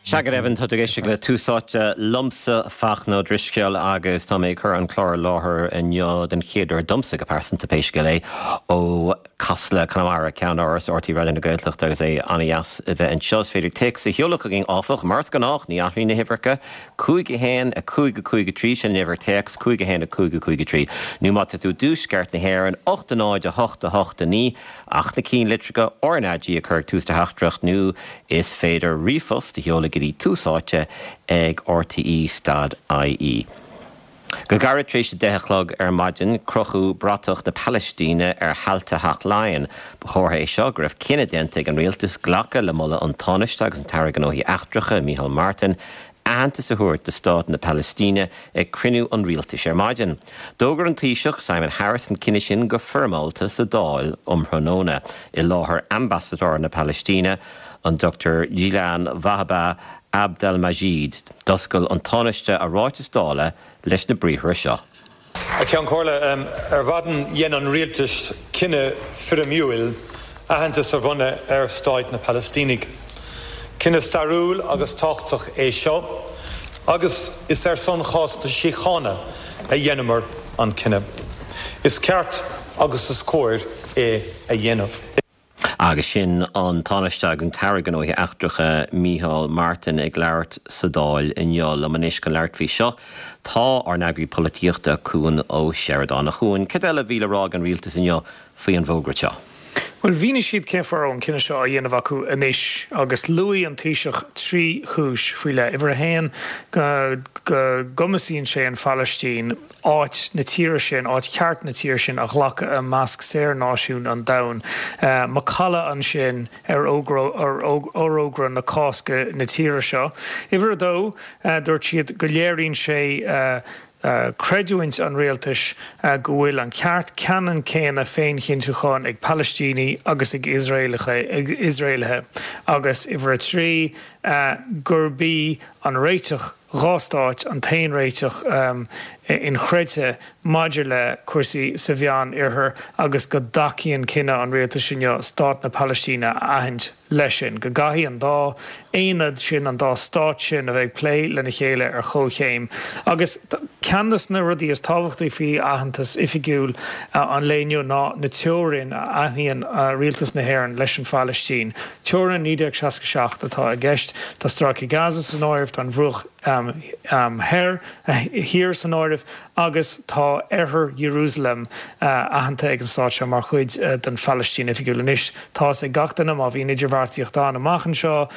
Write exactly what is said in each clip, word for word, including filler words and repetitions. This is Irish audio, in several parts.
Sea go deimhin, tá tú ag éisteacht le Tús Áite liomsa, Fachtna Ó Drisceoil, agus tá mé ag cur an clár i láthair inniu den chéad uair domsa go pearsanta, pé scéal é, ó Casla Conamara, ceannáras R T É Raidió na Gaeltachta, agus é an-dheas a bheith anseo. Is féidir téacs a sheoladh chugainn áfach, mar is gnách, ní athraíonn na huimhreacha, cúig a haon, a cúig a cúig a trí, sin an uimhir téacs, cúig a haon, a cúig a cúig a trí, nó má tá tú i dtuaisceart na hÉireann, ocht a náid, a hocht a hocht a naoi, ach na cinn litreacha R N A G a chur ag tús do theachtaireacht nó is féidir ríomhphost a sheoladh go dtí Tús Áite ag R T E stad I E. Go gairid tar éis a deich a chlog ar maidin, crochadh bratach na Palaistíne ar thailte Theach Laighean. Ba chomhartha é seo go raibh cinneadh déanta ag an rialtas glacadh le moladh an Tánaiste agus an tAire Gnóthaí Eachtracha, Micheál Martin, aitheantas a thabhairt do Stát na Palaistíne ag cruinniú an rialtais ar maidin. D'fhógair an Taoiseach Simon Harris an cinneadh sin go foirmeálta sa Dáil um thráthnóna, i láthair ambasadóir na Palaistíne, an Dochtúir Jilan Wahba Abdalmajid. D'oscail an Tánaiste a ráiteas Dála leis na briathra seo. A Cheann Comhairle, ar mhaidin dhein an rialtas cinneadh foirmiúil aitheantas a bhronnadh ar Stáit na Palaistínigh. Cinneadh stairiúil agus tábhachtach é seo, agus is ar son chás na síochána a dheineamar an cinneadh. Is ceart agus is cóir é a dhéanamh. Agus sin an Tánaiste agus an tAire Gnóthaí Eachtracha Micheál Martin ag labhairt sa Dáil inniu. Liom anois chun labhairt faoi seo tá ár n-eagraí polaitíochta Cuan Ó Seireadáin. A Chuain, cad eile a bhí le rá ag an rialtas inniu faoi an bhfógra seo? Bhuel, mhínigh siad cén fáth a raibh an cinneadh seo á dhéanamh acu anois, agus luaigh an Taoiseach trí chúis faoi leith. Uimhir a haon, go gcumasaíonn sé an Phalaistín áit na tíre sin, áit cheart na tíre sin a ghlacadh i measc saor-náisiúin an domhain. Macalla ansin ar fhorógra na Cásca na tíre seo. Uimhir a dó, dúirt siad go léiríonn sé creidiúint an rialtais go bhfuil an ceart ceannann céanna féinchinntiúcháin ag Palaistínigh agus ag Iosraelaithe, agus uimhir a trí, gurb í an réiteach dhá stáit an t-aon réiteach inchreidte maidir le cúrsaí sa Mheán Oirthear agus go dtacaíonn cinneadh an rialtais inniu stát na Palaistíne a aithint leis sin, go gcaithfidh an dá aonad sin, an dá stát sin a bheith ag plé lena chéile ar chomhchéim. Agus ceann de na rudaí is tábhachtaí faoi aitheantas oifigiúil an lae inniu ná na teorainn a aithníonn rialtas na hÉireann leis an Phalaistín. Teorainn naoi déag seasca seacht atá i gceist. Tá Stráice Gaza san áireamh, tá an Bhruach Thoir, Thiar san áireamh agus tá Oirthear Iarúsailéim aitheanta ag an stát seo mar chuid den Phalaistín oifigiúil. Anois, tá's ag gach duine, má bhíonn idirbheartaíocht ann amach anseo,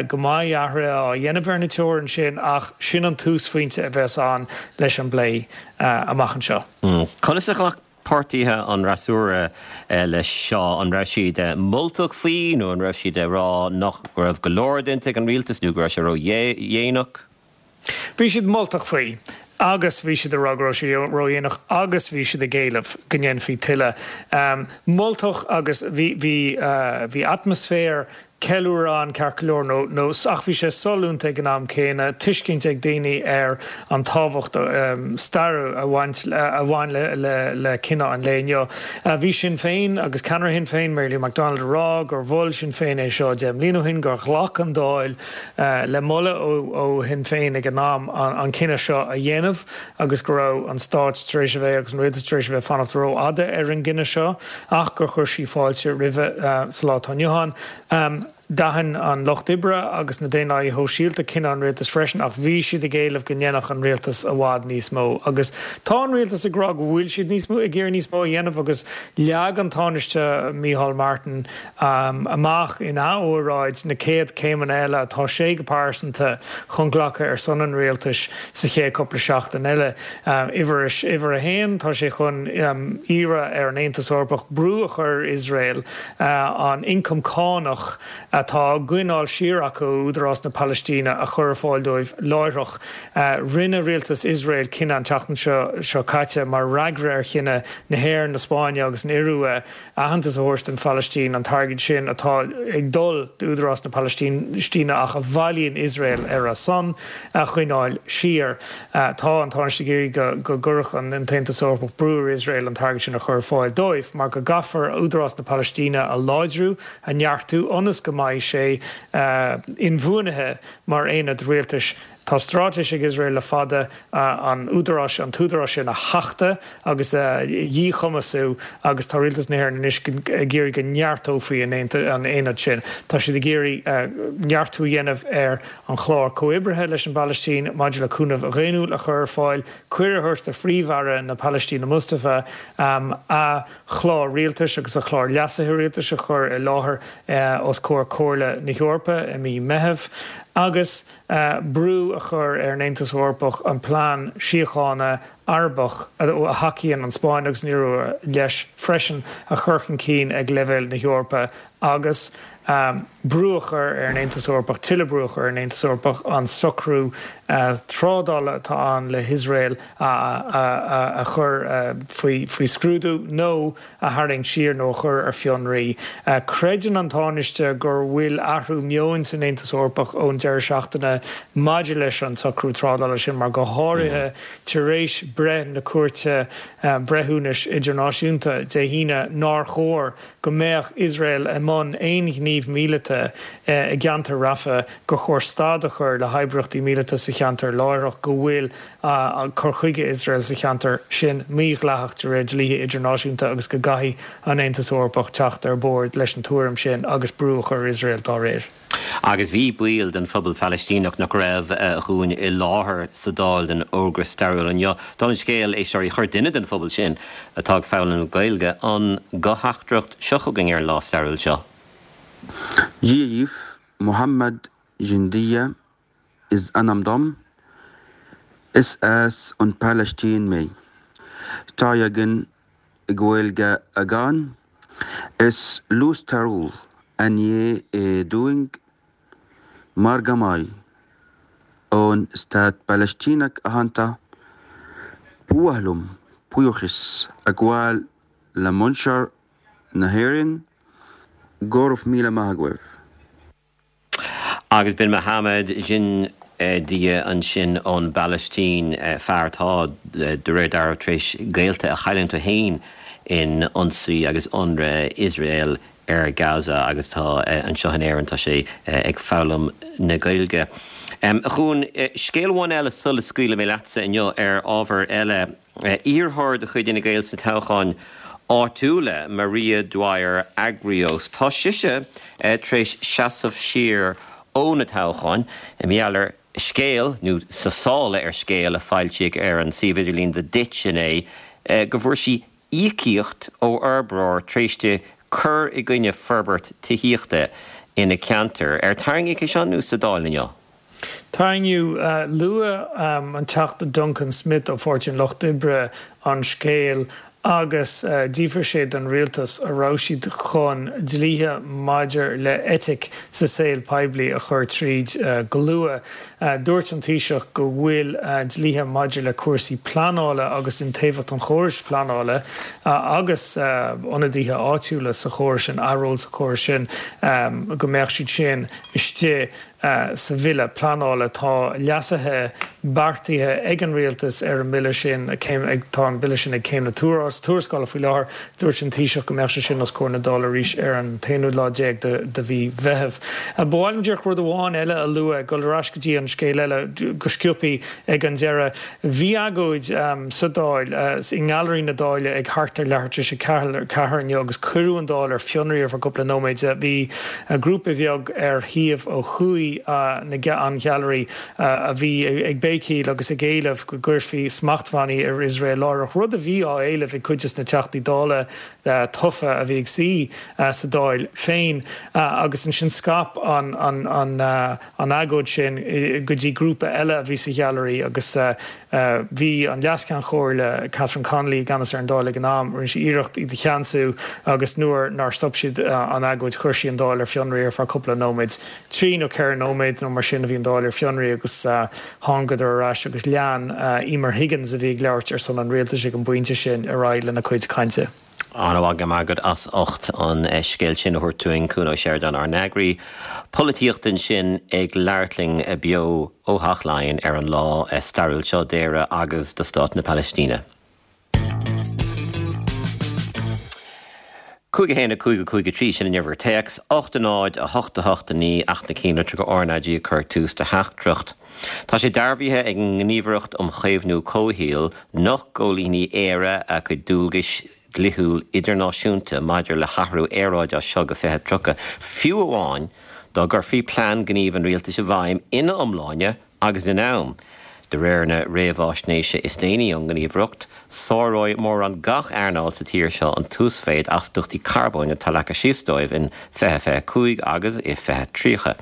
go mbeidh athruithe á dhéanamh ar na teorainn sin, ach sin an túsphointe a bheas ann leis an bplé amach anseo. Conas a ghlac páirtithe an fhreasúra leis seo? An raibh siad moltach faoi nó an raibh siad ag rá nach raibh go leor déanta ag an rialtas nó go raibh sé ródhéanach? Bhí siad moltach faoi agus bhí siad ag rá go raibh sé ródhéanach agus bhí siad ag éileamh go ndéanfaí tuilleadh. Moltach agus bhí, bhí, bhí atmaisféar ceiliúradh ann ceart go leor nó, nó, ach bhí sé sollúnta ag an am céanna, tuiscint ag daoine ar an tábhacht stairiúil a bhaint, a bhain le, le, le cinneadh an lae inniu. Bhí Sinn Féin agus ceannaire Shinn Féin, Mary Lou McDonald, ag rá gur mhol Sinn Féin é seo deich mbliana ó shin, gur ghlac an Dáil le moladh ó Shinn Féin ag an am an cinneadh seo a dhéanamh agus go raibh an stát tar éis a bheith agus an rialtas tar éis a bheith ag fanacht rófhada ar an gcinneadh seo ach gur chuir sí fáilte roimhe sa lá atá inniu ann. D'aithin an Lucht Oibre agus na Daonlathaithe Shóisialta cinneadh an rialtais freisin ach bhí siad ag éileamh go ndéanfadh an rialtas i bhfad níos mó agus tá an rialtas ag rá go bhfuil siad níos mó ag iarraidh níos mó a dhéanamh agus leag an Tánaiste Micheál Martin amach ina óráid na céad céimeanna eile atá sé go pearsanta chun glacadh ar son an rialtais sa chéad cúpla seachtain eile. Uimhir uimhir a haon, tá sé chun iarraidh ar an Aontas Eorpach brú a chur ar Iosrael an ioncam cánach atá á gcoinneáil siar acu ó Údarás na Palaistíne a chur ar fáil dóibh láithreach. Rinne rialtas Iosrael cinneadh an tseachtain seo seo caite mar fhreagra ar chinneadh na hÉireann, na Spáinne agus an Iorua aitheantas a thabhairt don Phalaistín, an t-airgead sin atá ag dul d'Údarás na Palaistíne ach a bhailíonn Iosrael ar a son, a choinneáil siar. Tá an Tánaiste ag iarraidh go gcuirfeadh an tAontas Eorpach brú ar Iosrael an t-airgead sin a chur ar fáil dóibh mar go gcaithfear Údarás na Palaistíne a láidriú, a neartú ionas go mbeidh mbeidh sé inbhuanaithe mar aonad rialtais. Tá straitéis ag Iosrael le fada an údarás an t-údarás sin a thachtadh agus a dhíchumasú agus tá rialtas na hÉireann anois ag iarraidh go neartófaí an aonad sin. Tá siad ag iarraidh neartú a dhéanamh ar an chlár comhoibrithe leis an bPalaistín maidir le cúnamh dhaonnúil a chur ar fáil, cuireadh a thabhairt do Phríomh-Aire na Palaistíne Mustafa a chlár rialtais agus a chlár leasaithe rialtais a chur i láthair os comhair Comhairle na hEorpa i mí Meithimh agus brú a chur ar an Aontas Eorpach an plean síochána Arabach, a thacaíonn an Spáinn agus an Iorua leis freisin, a chur chun cinn ag leibhéal na hEorpa agus brú a chur ar an Aontas Eorpach, tuilleadh brú a chur ar an Aontas Eorpach an socrú trádála atá ann le hIosrael a chur faoi scrúdú nó a tharraingt siar nó a chur ar fionraí. Creideann an Tánaiste gur bhfuil athrú meoin san Aontas Eorpach ón deireadh seachtaine maidir leis an socrú trádála sin mar go háirithe tar éis breith na Cúirte Breithiúnais Idirnáisiúnta Dé hAoine nár chóir go mbeadh Iosrael i mbun aon ghníomh míleata i gceantar Rafah, gur chóir stad a chur le hoibríochtaí míleata sa cheantar láithreach, go bhfuil cur chuige Iosrael sa cheantar sin mídhleathach de réir dlíthe idirnáisiúnta agus go gcaithfidh an Aontas Eorpach teacht ar bord leis an tuairim sin agus brú a chur ar Iosrael dá réir. Agus bhí baill den phobal Phalaistíneach nach raibh chugainn i láthair sa Dáil den fhógra stairiúil inniu. Dála an scéil, éisteoirí, chuir duine den phobal sin atá ag foghlaim Gaeilge an ghuth-theachtaireacht seo chugainn ar an lá stairiúil seo. Dia dhaoibh, Mohammed Jindia is ainm dom. Is as an Palaistín mé. Tá beagán Gaeilge agam. Is lá stairiúil inniu é dúinn mar go mbeidh an stát Palaistíneach aitheanta. Ba mhaith liom buíochas a ghabháil le muintir na hÉireann. Go raibh míle maith agaibh. Agus b'in Mohammed Jindia ansin ón bPalaistín, fear atá, de réir dealraimh, tar éis gaolta a chailliúint é féin in ionsaí agus ionradh Iosrael ar Gaza agus tá anseo in Éirinn, tá sé ag foghlaim na Gaeilge. A Chuain, scéal amháin eile sula scaoilfidh mé leatsa inniu ar ábhar eile. Iarrthóir de chuid Fhine Gael sna toghcháin áitiúla, Maria Dwyer Agrios, tá sise tar éis seasamh siar ó na toghcháin i ngeall ar scéal, nó sa sála ar scéal a foilsíodh ar an suíomh idirlín The Ditch inné, go bhfuair sí íocaíocht ó fhorbróir tar éis di cur i gcoinne forbairt tithíochta ina ceantar. Ar tarraingíodh é seo anuas sa Dáil inniu? Tarraingíodh. Luaigh an Teachta Duncan Smith ó Pháirtí an Lucht Oibre an scéal agus d'fhiafraigh sé den rialtas an raibh siad chun dlíthe maidir le eitic sa saol poiblí a chur tríd go luath. Dúirt an Taoiseach go bhfuil dlíthe maidir le cúrsaí pleanála agus iontaofacht an chórais phleanála agus ionadaithe áitiúla sa chóras sin, a ról sa chóras sin, go mbeadh siad sin istigh sa bhille pleanála. Tá leasuithe beartaithe ag an rialtas ar an mbille sin. Tá an bille sin ag céim na tuarascála faoi láthair. Dúirt an Taoiseach go mbeadh sé sin os comhair na Dála arís ar an t-aonú lá déag de mhí Mheithimh. Ba mhaith liom díreach rud amháin eile a lua, ag dul ar ais go dtí an scéal eile go sciobtha ag an deireadh. Bhí agóid sa Dáil, i nGailearaí na Dála ag thart ar leathuair tar éis a ceathair inniu agus cuireadh an Dáil ar fionraí ar feadh cúpla nóiméad. Bhí grúpa beag ar thaobh ó thuaidh an ghailearaí a bhí ag béicíl agus ag éileamh go gcuirfí smachtbhannaí ar Iosrael láithreach, rud a bhí á éileamh ag cuid de na Teachtaí Dála tofa a bhí ag suí sa Dáil féin. Agus ansin scaip an an agóid sin go dtí grúpa eile a bhí sa ghailearaí agus bhí an Leas-Cheann Comhairle Catherine Connolly i gceannas ar an Dáil ag an am, rinne sí iarracht iad a cheansú agus nuair nár stop siad an agóid chuir sí an Dáil ar fionraí ar feadh cúpla nóiméad. Trí nó ceithre nóiméad nó mar sin a bhí an Dáil ar fionraí agus thángadar ar ais agus lean Emer Higgins a bhí ag labhairt ar son an rialtais ag an bpointe sin ar aghaidh lena cuid cainte. An-mhaith, go raibh maith agat as ucht an scéal sin a thabhairt dúinn, Cuan Ó Seireadáin, ár n-eagraí polaitíochta ansin ag labhairt linn beo ó Theach Laighean ar an lá stairiúil seo d'Éire agus do Stát na Palaistíne. Cúig a haon a cúig a cúig a trí, sin an uimhir téacs, ocht a náid a hocht a hocht a naoi ach na ceannlitreacha RnaG ag cur tús do theachtaireacht. Tá sé dearbhaithe ag an nGníomhaireacht um Chaomhnú Comhshaoil nach gcomhlíonfaidh Éire a cuid dualgais dlíthiúil idirnáisiúnta maidir le hathrú aeráide as seo go fiche tríocha, fiú amháin dá gcuirfí plean gnímh an rialtais i bhfeidhm ina iomláine agus in am. De réir na réamhaisnéise is déanaí ón nGníomhaireacht, sáróidh mórán gach earnáil sa tír seo an t-uasmhéid astaíochtaí carbóin atá leagtha síos dóibh in fiche fiche cúig agus i fiche tríocha.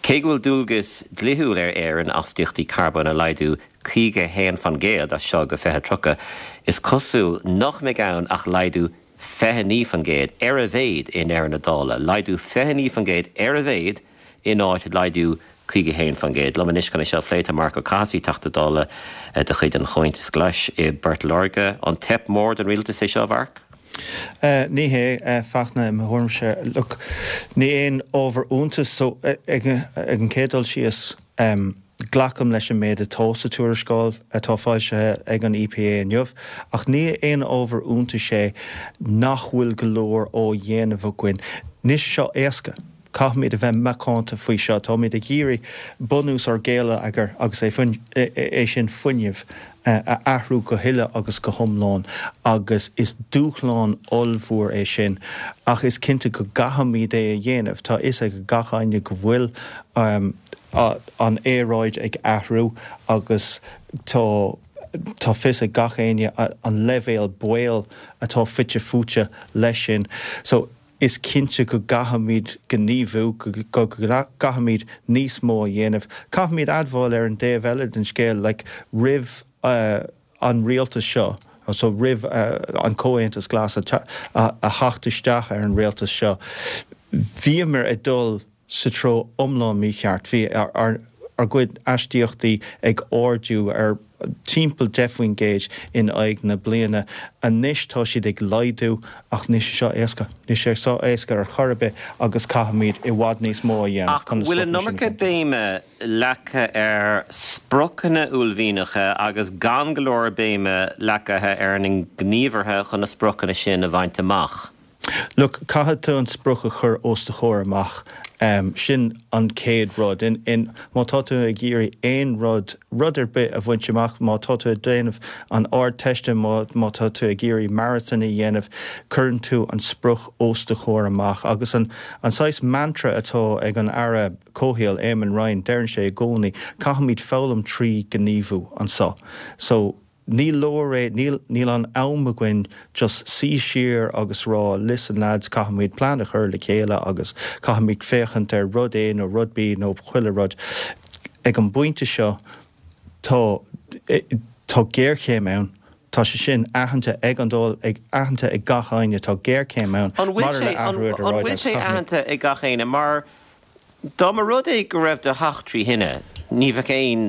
Cé go bhfuil dualgas dlíthiúil ar Éirinn astaíochtaí carbóin a laghdú caoga a haon faoin gcéad as seo go fiche tríocha, is cosúil nach mbeidh ann ach laghdú fiche naoi faoin gcéad ar a mhéad i ndeireadh na dála, laghdú fiche naoi faoin gcéad ar a mhéad in áit laghdú caoga a haon faoin gcéad. Liom anois chun é seo a phlé tá Marc Ó Cathasaigh, Teachta Dála de chuid an Chomhaontais Ghlais i bPort Láirge. An teip mór don rialtas é seo, a Mharc? Ní hé, a Fhachtna, i mo thuairimse. Look, ní aon ábhar iontais so ag an chéad dul síos, glacaim leis an méid atá sa tuarascáil atá foilsithe ag an EPA inniu, ach ní aon ábhar iontais é nach bhfuil go leor á dhéanamh againn. Níl sé seo éasca. Caithfimid a bheith macánta faoi seo. Táimid ag iarraidh bunús ár ngeilleagair agus é sin fuinneamh a athrú go huile agus go hiomlán agus is dúshlán ollmhór é sin ach is cinnte go gcaithfimid é a dhéanamh. Tá fhios ag gach éinne go bhfuil an aeráid ag athrú agus tá tá fios ag gach éinne an leibhéal baol atá fite fuaite leis sin. So is cinnte go gcaithfimid gníomhú, go gcaithfimid níos mó a dhéanamh. Caithfimid admháil ar an dtaobh eile den scéal, like, roimh an rialtas seo, so roimh an Comhaontas Glas a theacht isteach ar an rialtas seo, bhíomar ag dul sa treo iomlán mícheart. Bhí ár gcuid astaíochtaí ag ardú ar timpeall deich faoin gcéad in aghaidh na bliana. Anois tá siad ag laghdú ach níl sé seo éasca. Níl sé seo éasca ar chor ar bith agus caithfimid i bhfad níos mó a dhéanamh chun na spriocanna sin a bhaint amach. Ach bhfuil an iomarca béime leagtha ar spriocanna uaillmhianacha agus gan go leor béime leagtha ar na gníomhartha chun na spriocanna sin a bhaint amach? Look, caithfidh tú an sprioc a chur os do chomhair amach. Sin an chéad rud. In, má tá tú ag iarraidh aon rud, rud ar bith a bhaint amach, má tá tú ag déanamh an Ardteiste, má, má tá tú ag iarraidh marathon a dhéanamh, cuireann tú an sprioc os do chomhair amach. Agus an, an saghas mantra atá ag an Aire Comhshaoil, Eamon Ryan, deireann sé i gcónaí, caithfimid foghlaim trí ghníomhú anseo. So, Ní leor é, níl, níl an am againn just suí siar agus rá listen lads caithfimid plean a chur le chéile agus caithfimid féachaint ar rud A nó rud B nó chuile rud. Ag an bpointe seo tá, tá géarchéim ann, tá sé sin aitheanta ag an Dáil, ag, aitheanta ag gach éinne, tá géarchéim ann An bhfuil maidir sé, le an, athrú an aeráide bhfuil agus sé caithfimid. aitheanta ag gach éinne mar dá mba rud é go raibh do theach trí thine, ní bheadh aon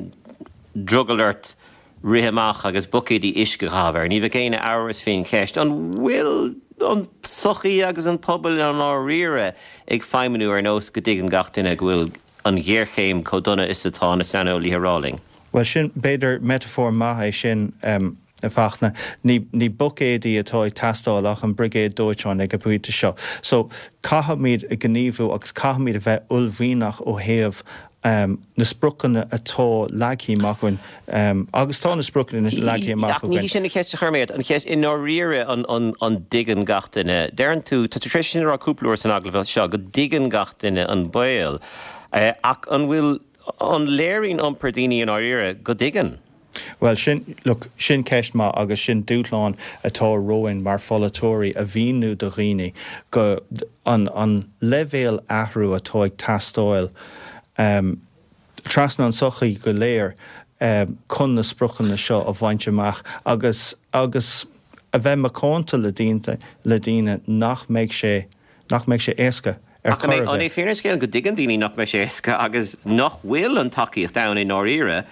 drogall ort rith amach agus buicéadaí uisce a chaitheamh air. Ní bheadh aon amhras faoin cheist, an bhfuil an tsochaí agus an pobal i ndáiríre ag feidhmiú ar nós go dtuigeann gach duine go bhfuil an ghéarchéim chomh dona is atá na saineolaithe ag rá linn? Bhuel, sin, b'fhéidir, metaphor maith é sin, a Fhachtna. Ní, ní buicéadaí atá ag teastáil ach an brigéad dóiteáin ag an bpointe seo. So, caithfimid gníomhú agus caithfimid a bheith uaillmhianach ó thaobh na spriocanna atá leagtha amach againn, agus tá na spriocanna leagtha amach Ach ní againn. hí sin an cheist a chuir mé ort, an cheist i ndáiríre an an dtuigeann gach duine, deireann tú, tá tú tar éis sin a rá cúpla uair san agallamh seo, go dtuigeann gach duine an baol, ach an bhfuil, an léiríonn iompar daoine i ndáiríre go dtuigeann? Bhuel, sin, look, sin ceist maith agus sin dúshlán atá romhainn mar pholaiteoirí a mhíniú do dhaoine go, an, an leibhéal athrú atá ag teastáil um, trasna an sochaí go léir um, chun na spriocanna seo a bhaint amach agus, agus a bheith macánta le daoine, le daoine nach mbeidh sé, nach mbeidh sé éasca ar Ach an chor é ar an é bith. fírinne an scéil go dtuigeann daoine nach mbeidh sé éasca agus nach bhfuil an tacaíocht ann i ndáiríre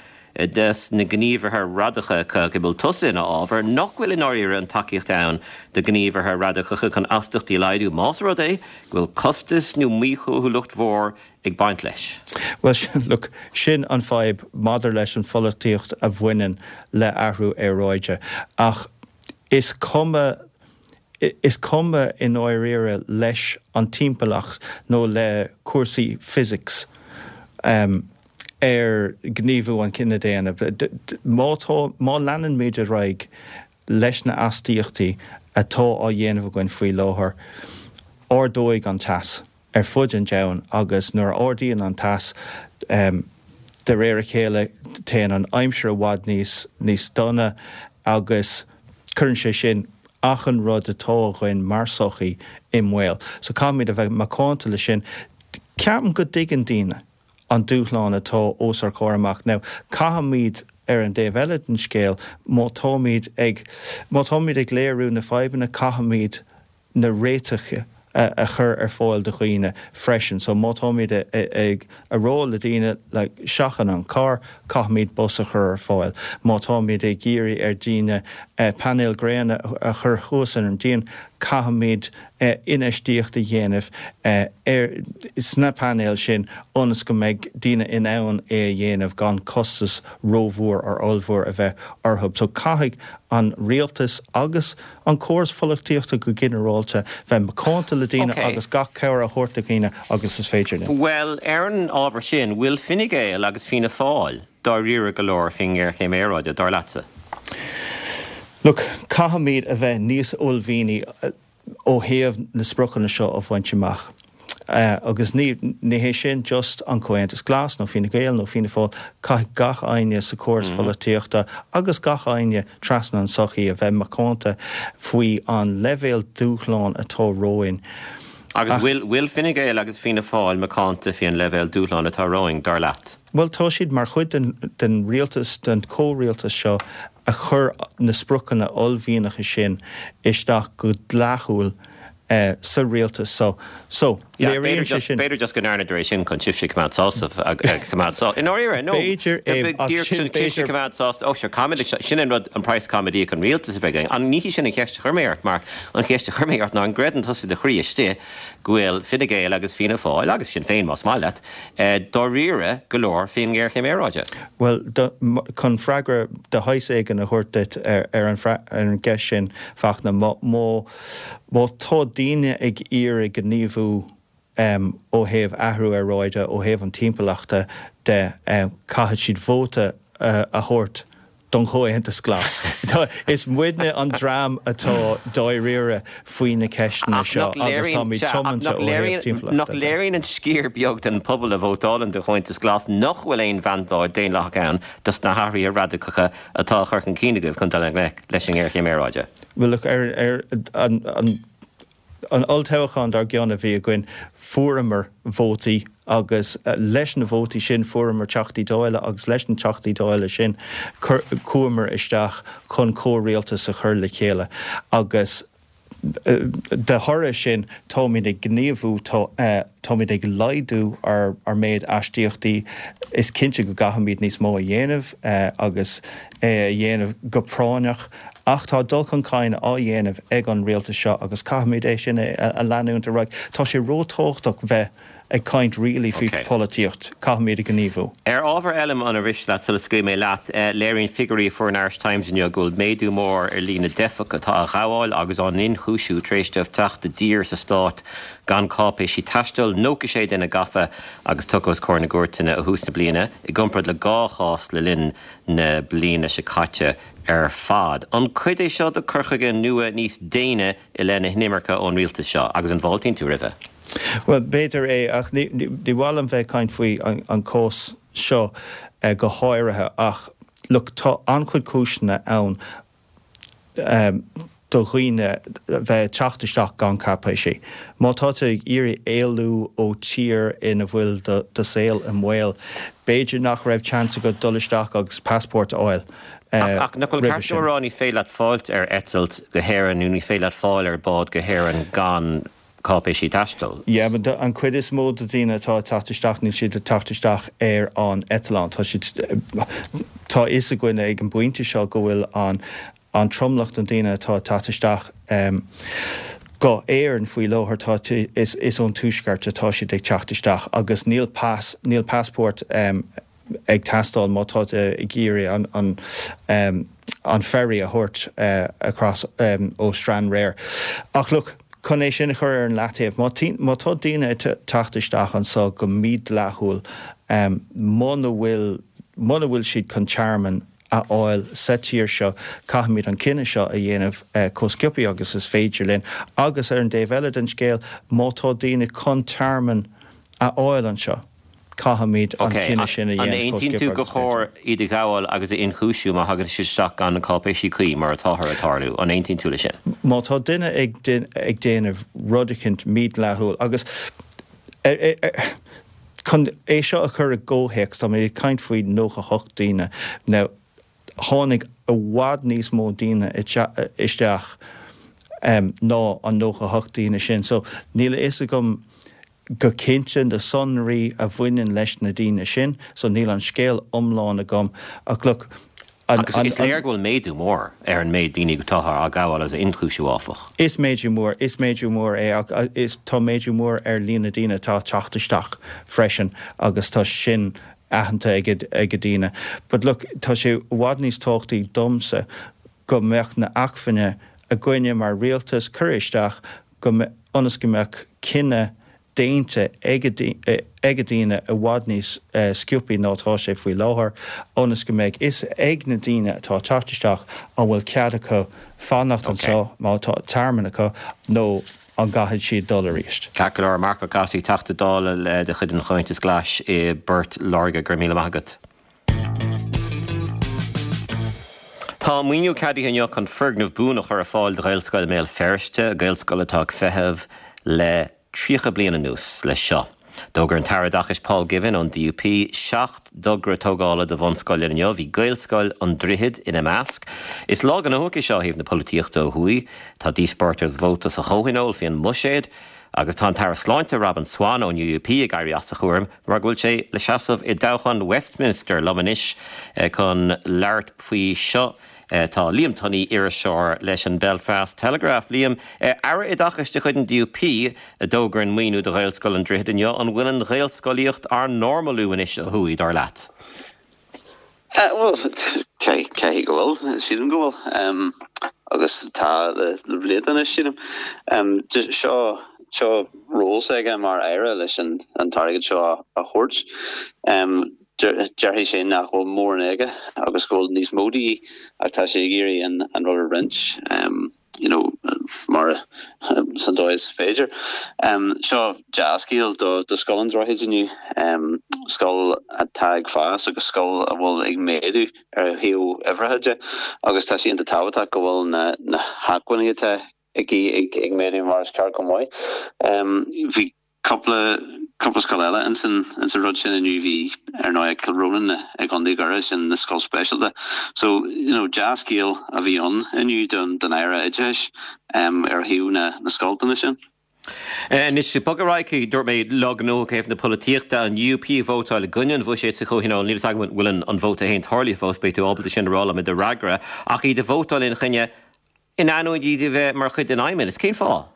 des na gníomhartha radacacha go bhfuil tusa ina fhábhar, nach bhfuil i ndáiríre an tacaíocht ann do ghníomhartha radacacha chun astaíochtaí a laghdú, más rud é go bhfuil costas nó míchaoithiúlacht mhór ag baint leis? Bhuel, sin, look, sin an fadhb maidir leis an pholaitíocht a bhaineann le athrú aeráide. Ach is cuma, Is cuma i ndáiríre leis an timpeallacht nó le cúrsaí physics um, ar gníomhú an cine daonna. Má tá má leanaimid ar aghaidh leis na astaíochtaí atá á dhéanamh againn faoi láthair, ardóidh an teas ar fud an domhain agus nuair a ardaíonn an teas um, de réir a chéile téann an aimsir i bhfad níos níos dona agus cuireann sé sin achan rud atá againn mar sochaí i mbaol. So caithfimid a bheith macánta le sin. Ceapaim go dtuigeann daoine an dúshlán atá os ár gcomhair amach. Now, caithfimid ar an dtaobh eile den scéal má táimid ag má táimid ag léiriú na fadhbanna caithfimid na réitigh a chur ar fáil do dhaoine freisin. So má táimid ag a rá le daoine like, seachain an carr, caithfimid bus a chur ar fáil. Má táimid ag iarraidh ar daoine uh, painéil gréine a chur thuas ar an díon, caithfimid uh, infheistíocht a dhéanamh uh, ar sna painéil sin ionas go mbeidh daoine in ann é a dhéanamh gan costas rómhór ar ollmhór a bheith orthu. So caithfidh an rialtas agus an córas polaitíochta go ginearálta bheith macánta le daoine okay. agus gach cabhair a thabhairt do dhaoine agus is féidir. Well ar an ábhar sin bhfuil Fine Gael agus Fianna Fáil dáiríre go leor faoin ngéarchéim aeráide dar leatsa. Look, caithfimid a bheith níos uaillmhianaí ó thaobh na spriocanna seo a bhaint amach. Uh, agus ní ní hé sin just an Comhaontas Glas nó Fine Gael nó Fianna Fáil caithfidh gach éinne sa chóras mm -hmm. polaitíochta agus gach éinne trasna an sochaí a bheith macánta faoi an leibhéal dúshlán atá romhainn. Agus bhfuil bhfuil Fine Gael agus Fianna Fáil macánta faoi an leibhéal dúshlán atá romhainn dar leat. Well tá siad mar chuid den, den rialtas den chomhrialtas seo a chur na spriocanna uaillmhianacha sin isteach go dlíthiúil uh, sa rialtas so so léiríonn sé sin B'fhéidir just go ndearnadar é sin chun sibhse coimeád sásta coimeád sá. In áiríre no B'fhéidir é coimeád sásta ó se sin an rud an price comedy an rialtas a bheith an ní sin an cheist a chuir mé ort mar an cheist a chuir mé ort ná an gcreideann tusa de chroí istigh go bhfuil Fine Gael agus Fianna Fáil agus Sinn Féin más maith leat dáiríre go leor faoin ngéarchéim aeráide. Well chun freagra de shaghas éigin a thabhairt duit ar ar an ar an gceist sin Fachtna má má tá daoine ag iarraidh gníomhú um, ó thaobh athrú aeráide ó thaobh an timpeallachta de um, caithfidh siad vóta uh, a thabhairt don Chomhaontas Glas. Is muidne an dream atá dáiríre faoi na ceisteanna seo agus táimid tiomanta ó thaobh timpeallachta. Nach léiríonn an sciar beag den pobal a vótálann do Chomhaontas Glas nach bhfuil aon mhandát daonlathach ann dos na hathruithe radacacha atá á gcur chun cinn agaibh chun dul i ngleic leis an ngéarchéim aeráide. Well look ar ar an an an olltoghchán dár gcionn a bhí againn fuaireamar vótaí agus leis na vótaí sin fuaireamar teachtaí Dála agus leis na teachtaí Dála sin chuamar isteach chun comhrialtas a chur le chéile agus de thoradh sin táimid ag gníomhú táimid ag laghdú ar ar méid astaíochtaí is cinnte go gcaithfimid níos mó a dhéanamh agus é a dhéanamh go práinneach ach tá dul chun cinn á dhéanamh ag an rialtas seo agus caithfimid é sin a leanúint ar aghaidh. Tá sé róthábhachtach bheith ag caint really faoi pholaitíocht, caithfimid a gníomhú. Ar ábhar eile an arís leat sula scaoilfidh mé leat, léiríonn figiúirí a fuair an Irish Times inniu go bhfuil méadú mór ar líon na dteifeach atá á ngabháil agus á n-ionchúiseamh tar éis dóibh teacht i dtír sa stát gan cáipéisí taistil, nócha sé duine gafa agus tugtha os comhair na gcúirteanna ó thús na bliana, i gcomparáid le dhá chás le linn na bliana seo caite ar fad. An cuid é seo de chur chuige nua níos déine i leith na hinimirce ón rialtas seo agus an bhfáiltíonn tú roimhe? Well b'fhéidir é ach ní mhaith liom bheith ag caint faoi an, an cás seo eh, go háirithe ach look, tá an-chuid cúiseanna ann um, do dhaoine bheith teacht isteach gan cáipéisí. Má tá tú ag iarraidh éalú ó tír ina bhfuil do, do saol i mbaol, b'fhéidir nach raibh chance agat dul isteach agus passport a fháil. Ach nach bhfuil ceart a rá ní féidir leat fáilt ar eitilt go hÉirinn nó ní féidir leat fáil ar bád go hÉirinn gan cáipéisí taistil. Yeah, but an chuid is mó de daoine atá ag teacht isteach níl siad ag teacht isteach ar an eitleán. Tá siad tá fhios againn ag an bpointe seo go bhfuil an an tromlach den daoine atá ag teacht isteach um, go Éirinn faoi láthair tá is, is ón tuaisceart atá siad ag teacht isteach agus níl pas níl passport um, ag teastáil má tá ag iarraidh an, an um, an ferry a thabhairt uh, across um, ó Stranraer. Ach look, chun é sin a chur ar an leataobh má tá daoine teacht isteach anseo go mídhleathúil um, muna bhfuil muna bhfuil siad chun tearmann a fháil sa tír seo caithfimid an cinneadh seo a dhéanamh uh, chomh sciobtha agus is féidir linn agus ar an dtaobh eile den scéal má tá daoine chun tearmann a fháil anseo. Caithfimid an cinneadh sin a An aontaíonn tú gur chóir iad a ghabháil agus a ionchúiseamh má thagann siad isteach gan na cáipéisí cuí mar atáthar ag tarlú an aontaíonn tú leis sin. Má tá duine ag ag déanamh rud éicint mídhleathúil agus chun é seo a chur i gcomhthéacs tá mé ag caint faoi nócha hocht daoine now tháinig i bhfad níos mó daoine isteach um, ná an nócha hocht daoine sin so níl a fhios agam go cinnte na sonraí a bhaineann leis na daoine sin, so níl an scéal iomlán agam ach look Agus is léir go bhfuil méadú mór ar an méid daoine atáthar á ghabháil agus a ionchúiseamh áfach. Is méadú mór is méadú mór é ach is tá méadú mór ar líon na daoine atá teacht isteach freisin agus tá sin aitheanta ag ag daoine. But look tá sé i bhfad níos tábhachtaí domsa go mbeadh na acmhainní againne mar rialtas cur isteach go ionas go mbeadh cinneadh déanta ag daoine i bhfad níos sciobtha ná tá sé faoi láthair ionas go mbeidh fhios ag na daoine atá teacht isteach an bhfuil cead acu fanacht anseo má tá tearmann acu nó an gcaithfidh siad dul arís. Ceart go leor Marc Ó Cathasaigh Teachta Dála de chuid an Chomhaontais Ghlais i bPort Láirge go raibh míle maith agat. Tá maoiniú ceadaithe inniu chun foirgneamh buan a chur ar fáil do Ghaelscoil i mBéal Feirste, Gaelscoil atá ag feitheamh le tríocha bliain anuas leis seo. D'fhógair an tAire Oideachais Paul Givan ón DUP seacht dtogra tógála do bhunscoileanna inniu, bhí Gaelscoil an Droichid ina measc. Is lá gnóthach é seo ó thaobh na polaitíochta ó thuaidh. Tá díospóireacht ar vóta sa Chomhthionól faoin mbuiséad agus tá an tAire Sláinte Robin Swann ón UUP ag éirí as a chúram mar go bhfuil sé le seasamh i dtoghchán Westminster liom anois chun labhairt faoi seo. Tá Liam Tunney, iriseoir leis an Belfast Telegraph. Liam, Aire Oideachais de chuid an DUP a d'fhógair an maoiniú do Ghaelscoil an Droichid inniu, an bhfuil an Ghaelscolaíocht á normalú anois ó thuaidh, dar leat? Bhuel, caithfidh go bhfuil, sílim go bhfuil. Agus tá le blianta anois, sílim. Seo seo ról s'aige mar aire leis an t-airgead seo a thabhairt. Déarfaidh sé nach bhfuil mórán aige agus go bhfuil níos mó de dhíth ach tá sé ag iarraidh an an rud a roinnt you know mar san dóigh is féidir. Seo dea-scéal do do Scoil an Droichid inniu, scoil atá ag fás agus scoil a bhfuil ag méadú ar thaobh uimhreacha de agus tá sé iontach tábhachtach go bhfuil na na hacmhainní atá aici ag ag méadú mar is ceart go maith. Bhí cúpla cúpla scoil eile ins an ins an rud sin inniu bhí ar ndóigh Cill Rónáin i gContae Dhoire sin na scoil speisialta. So you know dea-scéal a bhí ann inniu don don Aire Oideachais um, ar thaobh na na scoileanna sin. Anois bog ar aghaidh dúirt mé lá gnóthach ó thaobh na polaitíochta an UUP ag vótáil i gcoinne an bhuiséid sa Chomhthionól níl a fhios agam an bhfuil an vóta féin tarlaithe fós beidh tú ábalta sin a rá liom i do fhreagra ach iad ag vótáil ina choinne in ainneoin iad a bheith mar chuid den Fheidhmeannas. Cén fáth?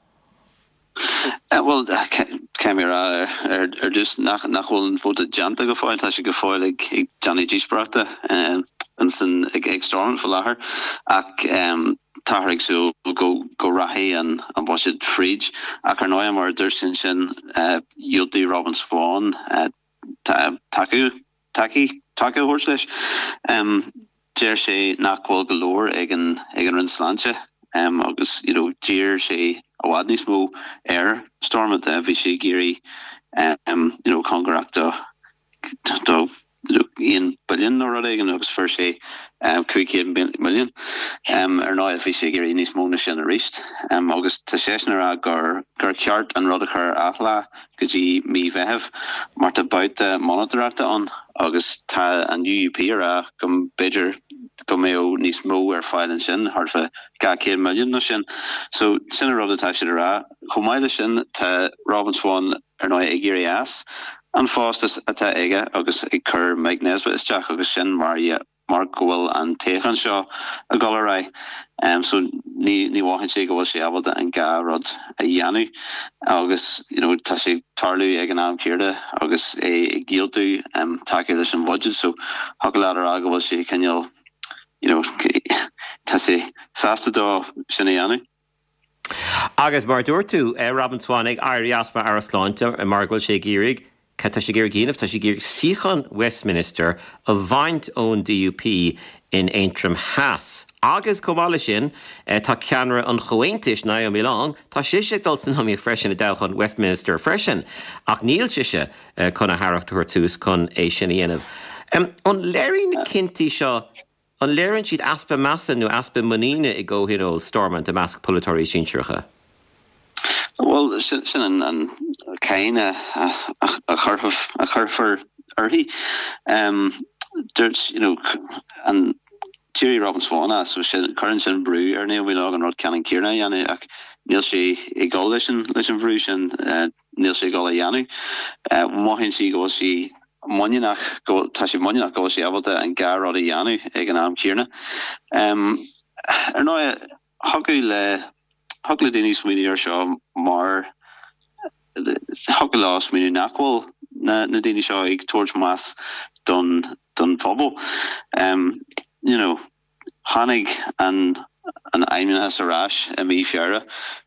Bhuel, caithfidh mé a rá ar dtús nach bhfuil an vóta déanta go fóill, tá sé go fóill ag déanamh díospóireachta ansin ag Stormont faoi láthair ach táthar ag súil go go rachaidh an an buiséad fríd ach ar ndóigh mar a dúirt tú ansin dhiúltaigh Robin Swann tacú tacaí taca a thabhairt leis. Deir sé nach bhfuil go leor ag an ag an Roinn Sláinte agus you know d'iarr sé i bhfad níos mó ar Stormont. Bhí sé ag iarraidh you know cóngarach do do aon billiún nó rud éigin agus fuair sé cúig chéad milliún. Ar ndóigh bhí sé ag iarraidh níos mó ná sin arís agus tá seisean ag rá gur gur cheart an rud a chur ar athlá go dtí mí Mheithimh mar tá babhta monatóireachta ann agus tá an UUP ag rá go mb'fhéidir go mbeadh níos mó ar fáil ansin, thart fá dhá chéad milliún nó sin. So sin an rud atá siad ag rá. Chomh maith leis sin tá Robin Swann ar ndóigh ag éirí as an phost atá aige agus ag cur Mike Nesbitt isteach agus sin mar mar go bhfuil an toghchán seo ag dul ar aghaidh. So ní ní mhothaíonn sé go bhfuil sé ábalta an dhá rud a dhéanamh agus you know tá sé ag tarlú ag an am céanna agus é ag diúltú tacú leis an bhuiséad so thiocfadh leat a rá go bhfuil sé cineál you know, tá sé sásta dó sin a dhéanamh. Agus mar dúirt tú Robin Swann ag éirí as mar Aire Sláinte mar go bhfuil sé ag iarraidh cad tá sé ag iarraidh a dhéanamh tá sé ag iarraidh suíochán Westminster a bhaint ón DUP in Aontroim Theas. Agus chomh maith leis sin tá ceannaire an Chomhaontais Naomi Long, tá sise ag dul san iomaíocht freisin i dtoghchán Westminster freisin, ach níl sise chun a haireacht a thabhairt suas chun é sin a dhéanamh. An léiríonn na cinntí seo An léiríonn siad easpa measa nó easpa muiníne i gcomhthionól Stormont i measc polaiteoirí sinsearacha? Bhuel, sin an an cáin a a chuirfear uirthi. Dúirt, you know, an d'éirigh Robin Swann as, so sin, cuireann sin brú ar Naomi Long an rud ceannann céanna a dhéanamh ach níl sé ag dul leis an leis an bhrú sin, níl sé ag dul a dhéanamh. Mothaíonn sí go bhfuil sí muiníneach, go, tá sí muiníneach go bhfuil sí ábalta an dhá rud a dhéanamh ag an am céanna. Ar ndóigh, thiocfadh le, thiocfadh le daoine smaoineamh air seo mar, thiocfadh leo smaoineamh nach bhfuil na, na daoine seo ag tabhairt meas don, don phobal. You know, tháinig an, an Fheidhmeannas ar ais i mí Feabhra,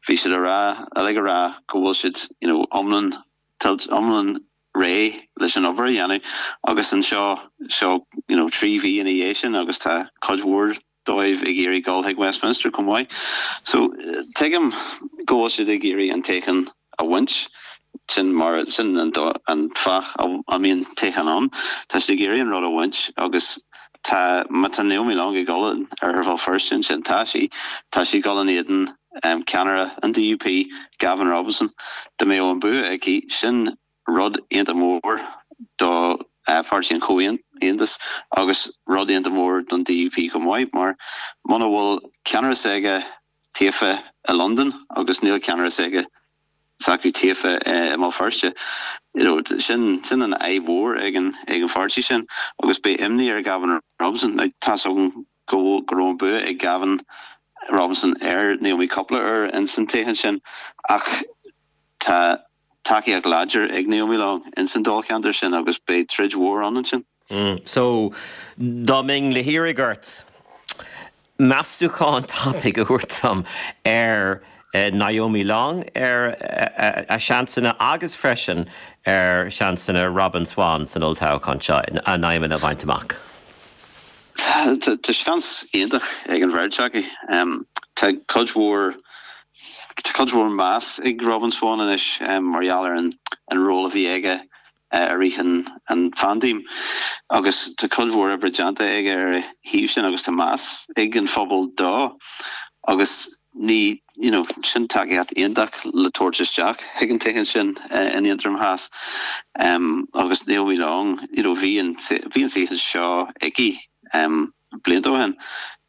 bhí siad a rá, uilig a rá go bhfuil siad, you know, iomlán, iomlán réidh leis an obair a dhéanamh agus anseo seo you know trí mhí ina dhiaidh sin agus tá cuid mhór dóibh ag iarraidh dul chuig Westminster chomh maith. So tuigim go bhfuil siad ag iarraidh an toghchán a bhaint, sin mar sin an an fáth a mbíonn toghchán ann. Tá siad ag iarraidh an rud a bhaint agus tá má tá Naomi Long ag dul in Oirthear Bhéal Feirste ansin tá sí tá sí ag dul in éadan um, ceannaire an DUP Gavin Robinson dá mbeadh an bua aici sin rud iontach mór do Pháirtí an Chomhaontais agus rud iontach mór don DUP chomh maith mar muna bhfuil ceannaire s'aige taofa i Londain agus níl ceannaire s'aige s'acu taofa i mBéal Feirste. You know, sin sin an fhadhb mhór ag an ag an pháirtí sin agus beidh imní ar Gavin Robinson. Now, tá's againn go go raibh an bua ag Gavin Robinson ar Naomi cúpla uair ins an toghchán sin ach tá tacaíocht láidir ag Naomi Long ins an dáilcheantar sin agus beidh troid mhór ann ansin. Mm. So dá mbeinn le hiarraidh ort meastachán tapaidh a thabhairt dom ar eh, Naomi Long ar eh, a seansanna agus freisin ar seansanna Robin Swann san olltoghchán seo a n-aidhmeanna a bhaint amach. Tá seans iontach ag an bheirt acu. Tá cuid mhór Tá cuid mhór meas ag Robin Swann anois mar gheall ar an an ról a bhí aige i rith an an phaindéim agus tá cuid mhór oibre déanta aige ar a thaobh sin agus tá meas ag an phobal dó agus ní you know sin tacaíocht iontach le tabhairt isteach chuig an toghchán sin in Aontroim Theas um, agus Naomi Long you know bhí an bhí an suíochán seo aici um, blianta ó shin.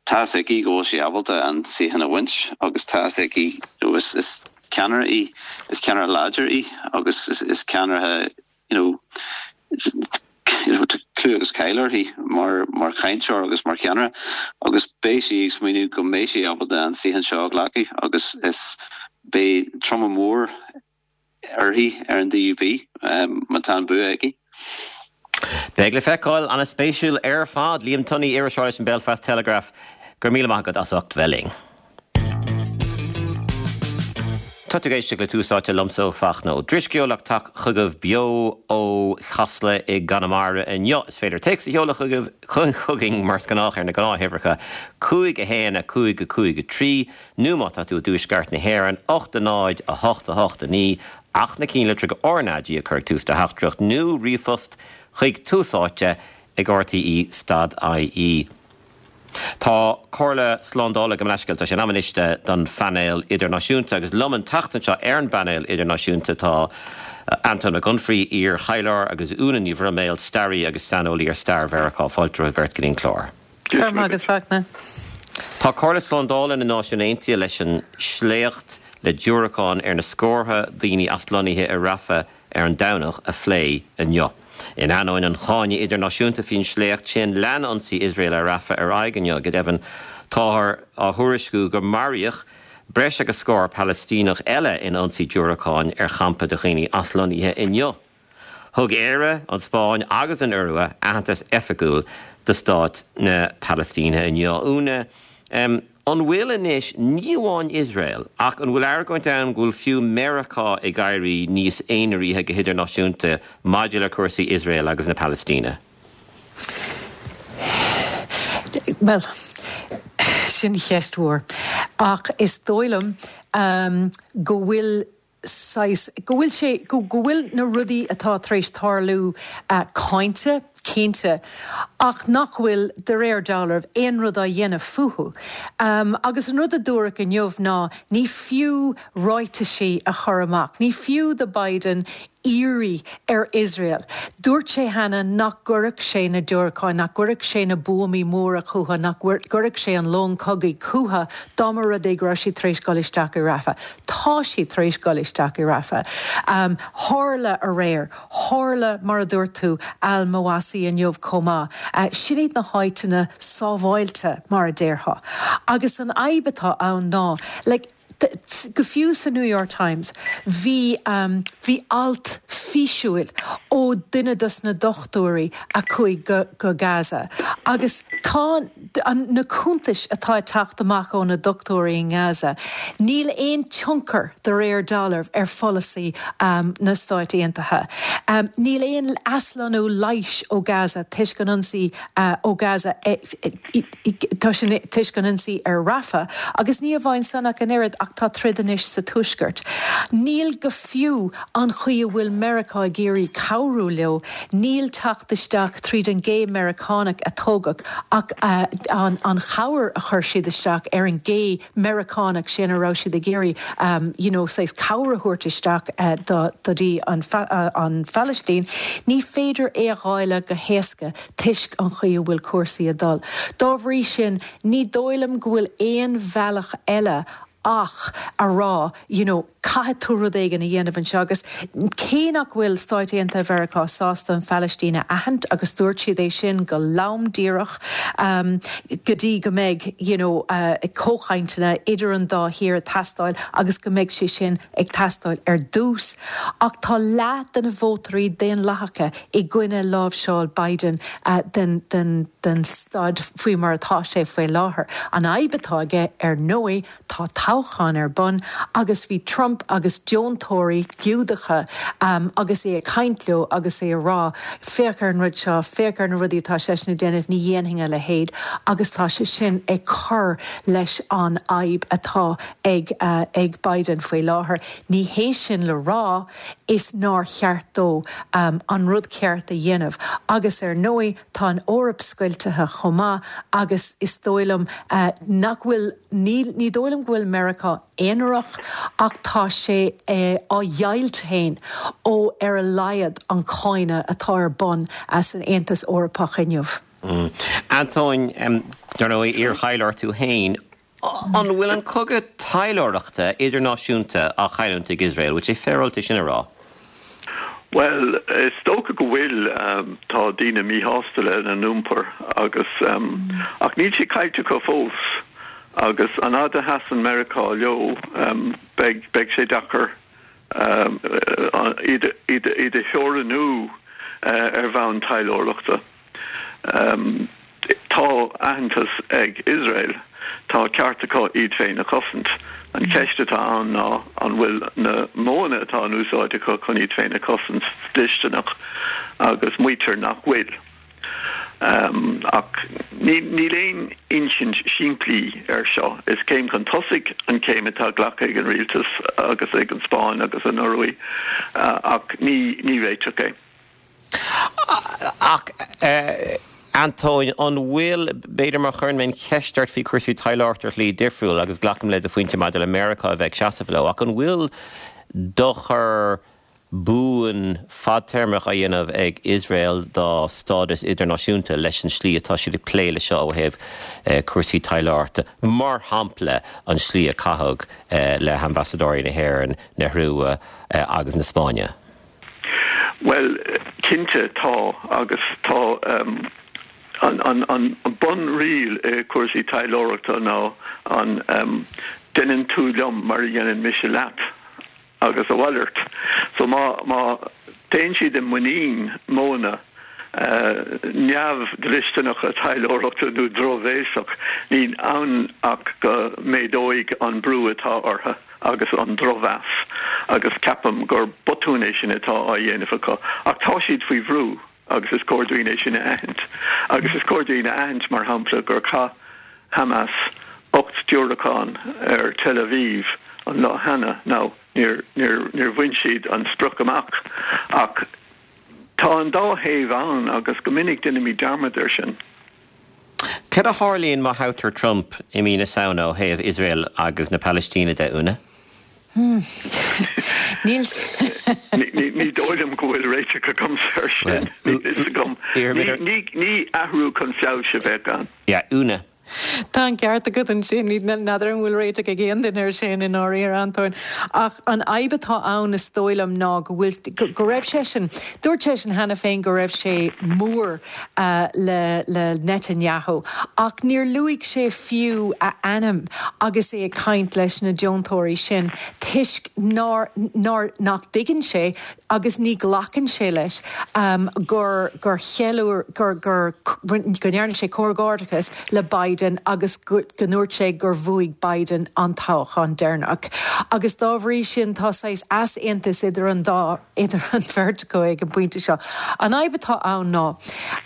Tá's aici go bhfuil sí ábalta an suíochán a bhaint agus tá's aici you know, is, is ceannaire í, is ceannaire láidir í agus is, is ceannaire you know, you know, tá clú agus cáil uirthi mar mar chainteoir agus mar cheannaire agus beidh sí ag smaoineamh go mbeidh sí ábalta an suíochán seo a ghlacadh agus is beidh troma mór uirthi ar an DUP um, má tá an bua aici. Beidh le feiceáil an-spéisiúil ar fad Liam Tunney iriseoir leis an Belfast Telegraph go raibh míle maith agat as ucht bheith linn. Tá tú ag éisteacht le Tús Áite liomsa Fachtna Ó Drisceoil ag teacht chugaibh beo ó Chasla i gConamara inniu. Is féidir téacs a sheoladh chugaibh chugainn mar is gnách ar na gnáthuimhreacha cúig a haon a cúig a cúig a trí nó má tá tú i dtuaisceart na hÉireann ocht a náid a hocht a hocht a naoi ach na cinnlitreacha RnaG a chur ag tús do theachtaireacht nó ríomhphost chuig Tús Áite ag RTÉ stad IE. Tá Comhairle Slándála go leisceil tá sé in am anois don phainéal idirnáisiúnta agus liom an tseachtain seo ar an bpainéal idirnáisiúnta tá Anton Mac Unfraidh, iar-thaidhleoir agus Úna Ní Bhroiméil, staraí agus saineolaí ar stair Mheiriceá. Fáilte romhaibh beirt go dtí an clár. Go raibh maith agat Fachtna. Tá Comhairle Slándála na Náisiún Aontaithe leis an sléacht le diúracáin ar na scórtha daoine aslonnaithe i Rafah ar an Domhnach a phlé inniu. In ainneoin an cháinte idirnáisiúnta faoin sléacht sin, lean ionsaí Iosrael ar Rafah ar aghaidh inniu. Go deimhin, táthar á thuairisciú gur maraíodh breis agus scór Palaistíneach eile in ionsaí diúracáin ar champa de dhaoine aslonnaithe inniu. Thug Éire, an Spáinn agus an Iorua aitheantas oifigiúil do stát na Palaistíne inniu. Úna, an bhfuil anois ní amháin Iosrael ach an bhfuil argóint ann go bhfuil fiú Meiriceá ag éirí níos aonaraí go hidirnáisiúnta maidir le cúrsaí Iosrael agus na Palaistíne? Bhuel, sin ceist mhór. Ach is dóigh liom go bhfuil saghas, go bhfuil sé, go bhfuil na rudaí atá tar éis tarlú cáinte, cinnte, ach nach bhfuil, de réir dealraimh, aon rud á dhéanamh fúthu. Agus an rud a dúradh inniu ná ní fiú ráitisí a chur amach, ní fiú do Biden iarraidh ar Iosrael. Dúirt sé cheana nach gcuirfeadh sé na diúracáin, nach gcuirfeadh sé na buamaí móra chucu, nach gcuirfeadh sé an long cogaidh chucu dá mba rud é go raibh siad tar éis dul isteach i Rafah. Tá siad tar éis dul isteach i Rafah. Tharla aréir. Tharla, mar a dúirt tú, Al-Mawasi inniu chomh maith. Sin iad na háiteanna sábháilte, mar a déarfá. Agus an fhadhb atá ann ná, like, go fiú sa New York Times, bhí, bhí alt físiúil ó duine dos na dochtúirí a chuaigh go, go Gaza. Agus tá an, na cuntais atá ag teacht amach ó na dochtúirí i nGaza, níl aon tionchar de réir dealraimh ar pholasaí na Stáit Aontaithe. Níl aon aslonnú leighis ó Gaza toisc an ionsaí ó Gaza, toisc an ionsaí ar Rafah, agus ní amháin san ach an oiread ach tá troid anois sa tuaisceart. Níl go fiú an chaoi a bhfuil Meiriceá ag iarraidh cabhrú leo, níl teacht isteach tríd an gcé Meiriceánach a tógadh ach an an chabhair a chuir siad isteach ar an gcé Meiriceánach sin a raibh siad ag iarraidh you know saghas cabhair a thabhairt isteach do do dtí an an Phalaistín, ní féidir é a dháileadh go héasca toisc an chaoi a bhfuil cúrsaí ag dul. Dá bhrí sin, ní dóigh liom go bhfuil aon bhealach eile ach a rá you know caithfidh tú rud éigin a dhéanamh anseo agus cé nach bhfuil Stáit Aontaithe Mheiriceá sásta an Phalaistín a aithint agus dúirt siad é sin go lom díreach um, go dtí go mbeidh you know, uh, comhchainteanna idir an dá thír ag teastáil agus go mbeidh sé sin ag teastáil ar dtús. Ach tá leath de na vótóirí daonlathacha i gcoinne láimhseáil Biden uh, den, den, den staid faoi mar atá sé faoi láthair. An fhadhb atá aige ar ndóigh tá toghchán ar bun agus bhí Trump agus deontóirí Giúdacha um, agus é ag caint leo agus é ag rá féach ar an rud seo, féach ar na rudaí atá seisean ag déanamh ní dhéanfainn a leithéid agus tá sé sin ag cur leis an fhadhb atá ag, uh, ag Biden faoi láthair. Ní hé sin le rá is nár cheart dó um, an rud ceart a dhéanamh. Agus ar ndóigh tá an Eoraip scoilte chomh maith agus is dóigh liom uh, nach bhfuil ní, ní dóigh liom go bhfuil Meiriceá aonarach ach tá sé eh, á dheighilt féin ó ar a laghad an cáineadh atá ar bun as an Aontas Eorpach inniu. Mm. Antóin, um, dar ndóigh iar-thaidhleoir tú féin, an bhfuil an cogadh taidhleoireachta idirnáisiúnta á chailliúint ag Iosrael, bhfuil sé féaráilte sin a rá? Well, is dócha go bhfuil um, tá daoine míshásta lena n-iompar agus um, ach níl sé caillte acu fós agus an fhad a sheasann Meiriceá leo um, beidh beidh sé deacair um, iad iad iad a theorannú uh, ar bhonn taidhleoireachta. Um, tá aitheantas ag Iosrael, tá ceart acu iad féin a chosaint. An cheist atá ann ná an bhfuil na modhanna atá in úsáid acu chun iad féin a chosaint dlisteanach agus maítear nach bhfuil. Um, ach níl aon insint simplí ar seo. Is céim chun tosaigh an céim atá glactha ag an rialtas agus ag an Spáinn agus an Iorua uh, ach ní ní réiteach é. Ach uh, Antóin an bhfuil b'fhéidir má chuireann mé an cheist ort faoi chúrsaí taidhleoireachta ar shlí difriúil agus glacaim le do phointe maidir le Meiriceá a bheith ag seasamh leo ach an bhfuil dochar buan fadtéarmach á dhéanamh ag Iosrael dá stádas idirnáisiúnta leis an slí atá siad ag plé le seo ó thaobh eh, cúrsaí taidhleoireachta mar shampla an slí a caitheadh eh, le hambasadóirí na hÉireann, na hIorua eh, agus na Spáinne. Well, cinnte tá agus tá um, an, an, an, an bunriail i cúrsaí taidhleoireachta ná an um, déanann tú liom mar a dhéanann mise leat agus a mhalairt. So má má Téann siad i muinín modhanna neamhdhlisteanacha taidhleoireachta nó drochbhéasach. Níl ann ach go méadóidh an brú atá orthu agus an drochmheas agus ceapaim gur botún é sin atá á dhéanamh acu. Ach tá siad faoi bhrú agus is cóir dúinn é sin a aithint. Agus is cóir dúinn a aithint, mar shampla, gur chaith Hamas ocht diúracán ar Tel Aviv an lá cheana. Now, níor, níor, níor bhain siad an sprioc amach ach tá an dá thaobh ann agus go minic déanaimid dearmad air sin. Cad a tharlaíonn má thoghtar Trump i mí na Samhna ó thaobh Iosrael agus na Palaistíne de, Úna? Níl. Ní dóigh liom go bhfuil réiteach agamsa air sin. Níl fhios agam. Ní athrú chun feabhais a bheadh ann. Yeah, Úna. Tá an ceart agat ansin, n'fheadar an bhfuil réiteach ag aon duine air sin i ndáiríre, Antóin. Ach an fhadhb atá ann is dóigh liom ná go bhfuil, go raibh seisean, dúirt seisean cheana féin go raibh sé mór le le Netanyahu ach níor luaigh sé fiú a ainm agus é ag caint leis na deontóirí sin toisc nár, nár, nach dtuigeann sé agus ní ghlacann sé leis gur gur cheiliúr gur gur go ndearna sé comhghairdeachas le Biden agus go ndúirt sé gur bhuaigh Biden an toghchán deireanach. Agus dá bhrí sin tá saghas easaontas idir an dá idir an bheirt acu ag an bpointe seo. An fhadhb atá ann ná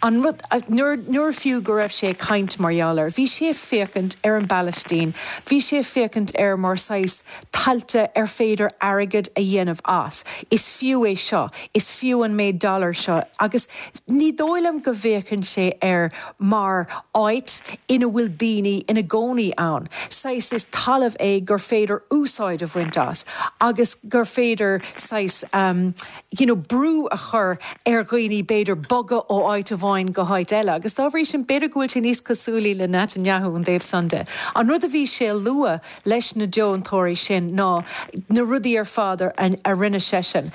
an rud nuair nuair fiú go raibh sé ag caint mar gheall air, bhí sé ag féachaint ar an bPalaistín, bhí sé ag féachaint air mar saghas tailte ar féidir airgead a dhéanamh as. Is fiú é seo, is fiú an méid dollar seo agus ní dóigh liom go bhféachann sé air mar áit ina bhfuil daoine ina gcónaí ann. Saghas is talamh é gur féidir úsáid a bhaint as agus gur féidir saghas um, you know, brú a chur ar dhaoine b'fhéidir bogadh ó áit amháin go háit eile. Agus dá bhrí sin b'fhéidir go bhfuil sé níos cosúlaí le Netanyahu ón dtaobh san de. An rud a bhí sé a lua leis na deontóirí sin ná na rudaí ar fad a rinne seisean,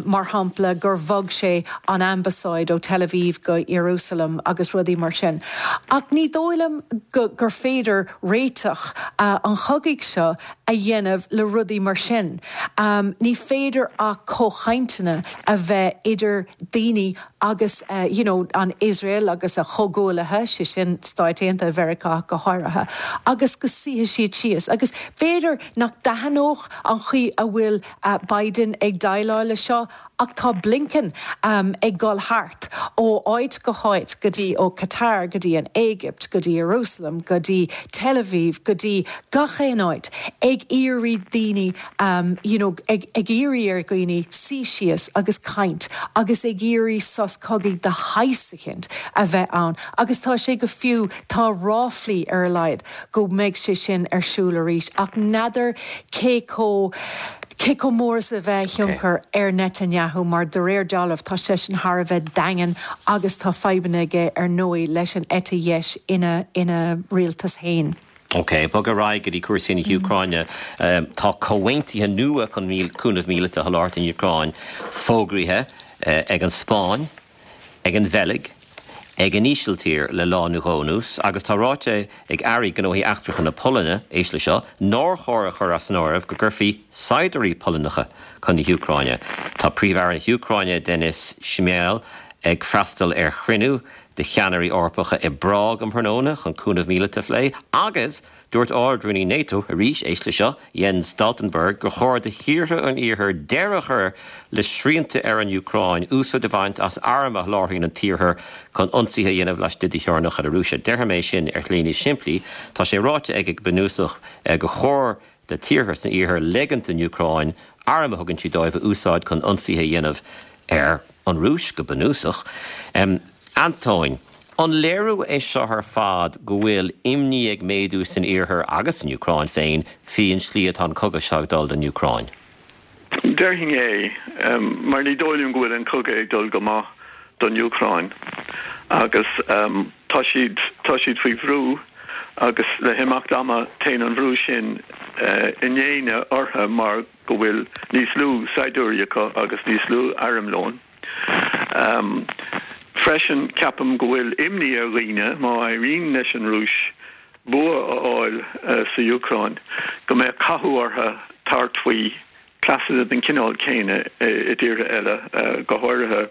mar shampla gur bhog sé an ambasáid ó Tel Aviv go Ierúsalem agus rudaí mar sin. Ach ní dóigh liom gur féidir réiteach an chogaidh seo a dhéanamh le rudaí mar sin. Ní féidir ach comhchainteanna a bheith idir daoine agus you know an Iosrael agus a chomhghuaillithe, sé sin Stáit Aontaithe Mheiriceá go háirithe, agus go suífidh siad síos. Agus b'fhéidir nach dtaitneodh an chaoi a bhfuil Biden ag déileáil leis seo ach tá Blinken ag dul thart ó áit go háit, go dtí ó Qatar go dtí an Éigipt go dtí Ierúsalem go dtí Tel Aviv go dtí gach aon áit ag iarraidh daoine you know ag ag iarraidh ar dhaoine suí síos agus caint agus ag iarraidh sos cogaidh de shaghas eicínt a bheith ann agus tá sé go fiú tá ráflaí ar a laghad go mbeidh sé sin ar siúl arís ach n'fheadar cé chomh cé chomh mór is a bheidh a thionchar ar Netanyahu mar de réir dealraimh tá seisean thar a bheith daingean agus tá fadhbanna aige ar ndóigh leis an eite dheis ina ina rialtas féin. Ok, bog ar aghaidh go dtí cúrsaí na hÚcráine. Tá comhaontuithe nua chun cúnamh míleata a sholáthar don Úcráin fógraithe ag an Spáinn, ag an Bheilg, ag an Ísiltír le lá nó dhó anuas agus tá ráite ag Airí Gnóthaí Eachtracha na Polainne, éist le seo, nár chóir a chur as an áireamh go gcuirfí saighdiúirí Polannacha chun na hÚcráine. Tá Príomh-Aire na hÚcráine, Denis Shmyhal, ag freastal ar chruinniú de cheannairí Eorpacha i bPrág um thráthnóna chun cúnamh míleata a phlé agus dúirt Ard-Rúnaí NATO, arís, éist le seo, Jens Stoltenberg, gur chóir do thíortha an Iarthair deireadh a chur le srianta ar an Úcráin úsáid a bhaint as airm a sholáthraíonn an tIarthar chun ionsaithe a dhéanamh laistigh de theorainneacha na Rúise. Déarfaidh mé sin ar shlí níos simplí, tá sé ráite aige go bunúsach gur chóir do thíortha san Iarthar ligint don Úcráin airm a thugann siad dóibh a úsáid chun ionsaithe a dhéanamh ar an Rúis, go bunúsach. Antóin, an léiriú é seo ar fad go bhfuil imní ag méadú san Iarthar agus san Úcráin féin faoin slí atá an cogadh seo ag dul don Úcráin? Déarfainn é, mar ní dóigh liom go bhfuil an cogadh ag dul go maith don Úcráin agus tá siad tá siad faoi bhrú agus le himeacht ama téann an bhrú sin i ndéine orthu mar go bhfuil níos lú saighdiúirí acu agus níos lú armlóin. Freisin, ceapaim go bhfuil imní ar dhaoine, má éiríonn leis an Rúis bua a fháil sa Úcráin, go mbeadh cathú orthu tabhairt faoi cleasanna den chineál céanna i dtíortha eile, go háirithe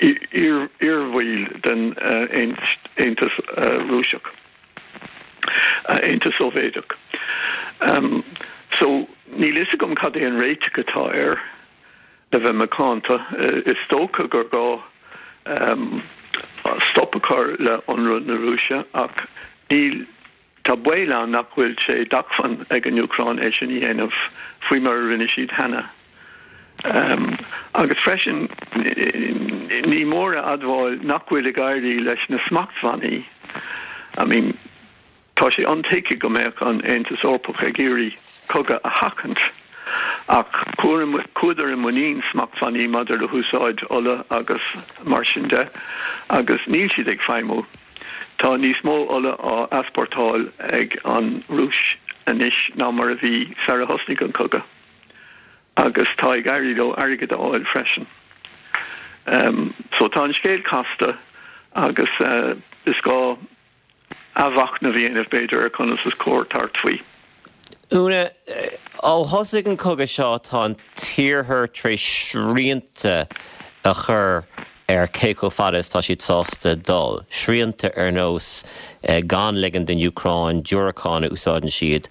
iarbhaill den Aontas Rúiseach, Aontas Sóivéadach. So níl fhios agam cad é an réiteach atá air, le bheith macánta. Is dócha gur gá stop a chur le hionradh na Rúise ach níl, tá baol ann nach bhfuil sé d'acmhainn ag an Úcráin é sin a dhéanamh faoi mar a rinne siad cheana. Agus freisin ní mór a admháil nach bhfuil ag éirí leis na smachtbhannaí. I mean, tá sé intuigthe go mbeadh an Aontas Eorpach ag iarraidh cogadh a sheachaint, ach chuadar i muinín smachtbhannaí maidir le húsáid ola agus mar sin de, agus níl siad ag feidhmiú. Tá níos mó ola á easpórtáil ag an Rúis anois ná mar a bhí sar a thosnaigh an cogadh, agus tá ag éirí leo airgead a fháil freisin. So tá an scéal casta agus is gá athmhachnamh a dhéanamh, b'fhéidir, ar conas is cóir tabhairt faoi. Úna, ó thosaigh an cogadh seo tá an tIarthar tar éis srianta a chur ar cé chomh fada is tá siad sásta dul. Srianta ar nós gan ligean don Úcráin diúracáin a úsáideann siad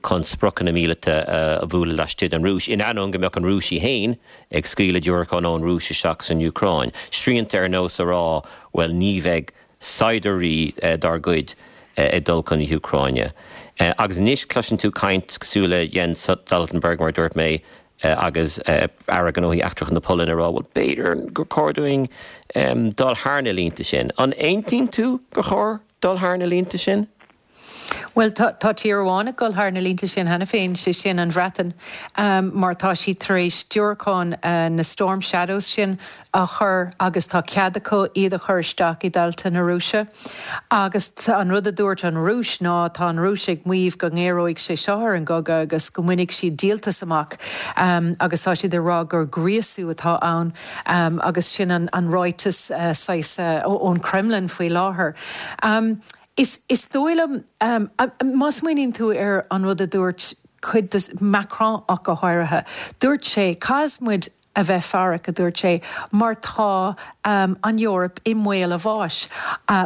chun spriocanna míleata a bhualadh laistigh den Rúis, in ainneoin go mbeadh an Rúis í féin ag scaoileadh diúracán ón Rúis isteach san Úcráin. Srianta ar nós a rá, bhuel ní bheidh saighdiúirí dár gcuid ag dul chun na hÚcráine. Agus anois cloiseann tú caint cosúil le Jens Stoltenberg, mar a dúirt mé, agus Aire Gnóthaí Eachtracha na Polainne ag rá, bhuel b'fhéidir gur chóir dúinn dul thar na línte sin. An aontaíonn tú gur chóir dul thar na línte sin? Bhuel, tá tír amháin ag dul thar na línte sin cheana féin, sé sin an Bhreatain, mar tá siad tar éis diúracáin na Storm Shadows sin a chur agus tá cead acu iad a chur isteach i dtailte na Rúise. Agus an rud a dúirt an Rúis ná tá an Rúis ag maíomh go ngéaróidh sé seo ar an gcogadh agus go mbainfidh siad díoltas amach agus tá siad ag rá gur gríosú atá ann agus sin an ráiteas saghas ón Kremlin faoi láthair. Is dóigh liom, má smaoiníonn tú ar an rud a dúirt cuid de, Macron ach go háirithe, dúirt sé, caithfidh muid a bheith faireach, a dúirt sé, mar tá an Eoraip i mbaol a bháis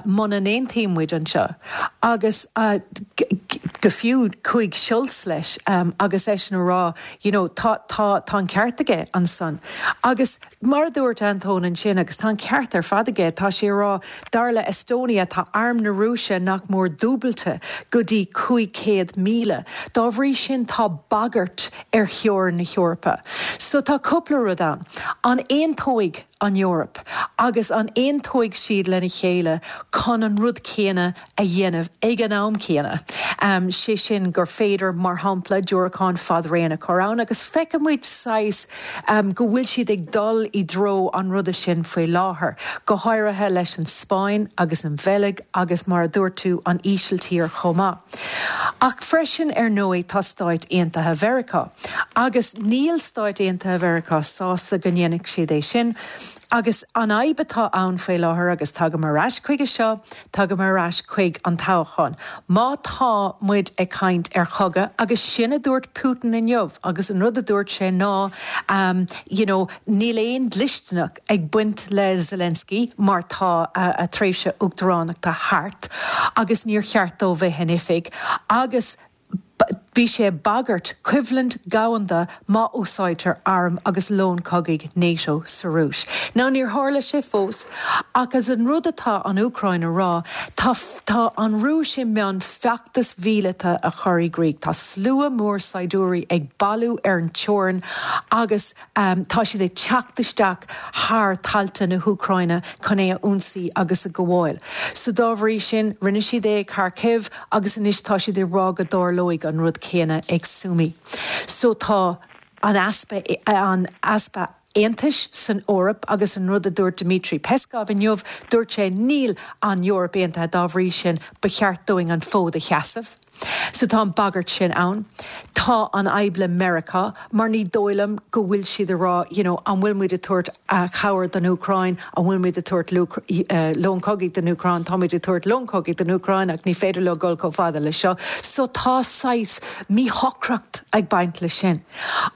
muna n-aontaíonn muid anseo. Agus go fiú chuaigh Scholz leis agus eisean a rá, you know, tá, tá, tá an ceart aige ansan. Agus mar a dúirt Antóin ansin, agus tá an ceart ar fad aige, tá sé a rá, dar le Estonia tá arm na Rúise nach mór dúbailte go dtí cúig chéad míle. Dá bhrí sin tá bagairt ar theorainn na hEorpa. So tá cúpla rud ann. An aontóidh an Eoraip agus an aontóidh siad lena chéile chun an rud céanna a dhéanamh ag an am céanna? Sé sin gur féidir, mar shampla, diúracáin fad-raon a chur ann agus feicfidh muid saghas go bhfuil siad ag dul i dtreo an ruda sin faoi láthair, go háirithe leis an Spáinn agus an Bheilg agus mar a dúirt tú, an Ísiltír chomh maith. Ach freisin, ar ndóigh, tá Stáit Aontaithe Mheiriceá. Agus níl Stáit Aontaithe Mheiriceá sásta go ndéanfaidh siad é sin. Agus an fhadhb atá ann faoi láthair, agus tagaim ar ais chuige seo, tagaim ar ais chuig an toghchán. Má tá muid ag caint ar chogadh, agus sin a dúirt Putin inniu, agus an rud a dúirt sé ná, you know, níl aon dlisteanacht ag baint le Zelensky mar tá a tréimhse uachtaránachta thart agus níor cheart dó bheith in oifig, agus bhí sé ag bagairt coimhlint dhomhanda má úsáidtear airm agus lón cogaidh NATO sa Rúis. Now níor tharla sé fós, ach as an rud atá an Úcráin a rá, tá tá an Rúis i mbun feachtas mhíleata a chur i gcrích. Tá slua mór saighdiúirí ag bailiú ar an teorainn agus tá siad ag teacht isteach thar thailte na hÚcráine chun é a ionsaí agus a ghabháil. So dá bhrí sin, rinne siad é ag Kharkiv agus anois tá siad ag rá go dtarlóidh an rud céanna ag Sumy. So tá an easpa an easpa aontais san Eoraip agus an rud a dúirt Dmitry Peskov inniu, dúirt sé níl an Eoraip aontaithe dá bhrí sin ba cheart dúinn an fód a sheasamh. So tá an bagairt sin ann. Tá an fhadhb le Meiriceá mar ní dóigh liom go bhfuil siad ag rá you know an bhfuil muid ag tabhairt cabhair don Úcráin, an bhfuil muid ag tabhairt long cogaidh don Úcráin, tá muid ag tabhairt long cogaidh don Úcráin ach ní féidir leo dul chomh fada le seo. So tá saghas míshocracht ag baint leis sin.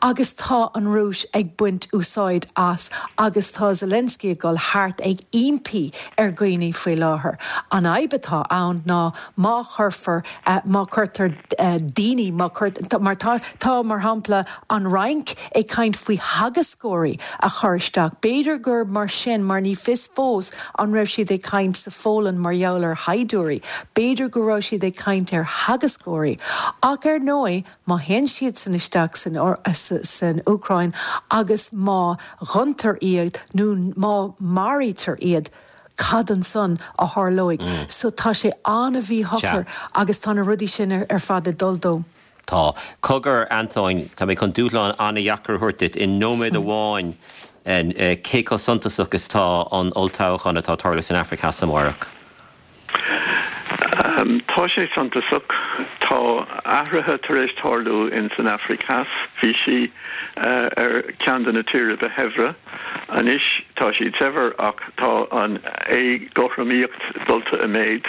Agus tá an Rúis ag baint úsáid as agus tá Zelensky ag dul thart ag impí ar dhaoine faoi láthair. An fhadhb atá ann ná má chuirfear, má chuirtear daoine, má chuir, mar tá, tá mar shampla an Fhrainc ag caint faoi theagascóirí a chur isteach. B'fhéidir gur mar sin, mar ní fios fós an raibh siad ag caint sa Pholainn mar gheall ar shaighdiúirí, b'fhéidir go raibh siad ag caint ar theagascóirí. Ach ar ndóigh, má théann siadsan isteach san, san Úcráin agus má ghanntar iad nó má maraítear iad, cad ansan a tharlóidh? So tá sé an-mhíshocair agus tá na rudaí sin ar fad ag dul dó. Tá. Cogar, Antóin, tá mé chun dúshlán an-dheacair a thabhairt duit i nóiméad amháin, cé chomh suntasach is atá an olltoghchán atá ag tarlú san Afraic Theas amárach? Tá sé suntasach. Tá athruithe tar éis tarlú in san Afraic Theas. Bhí sí ar ceann de na tíortha ba shaibhre. Anois tá siad saibhir ach tá an éagothromaíocht dulta i méid.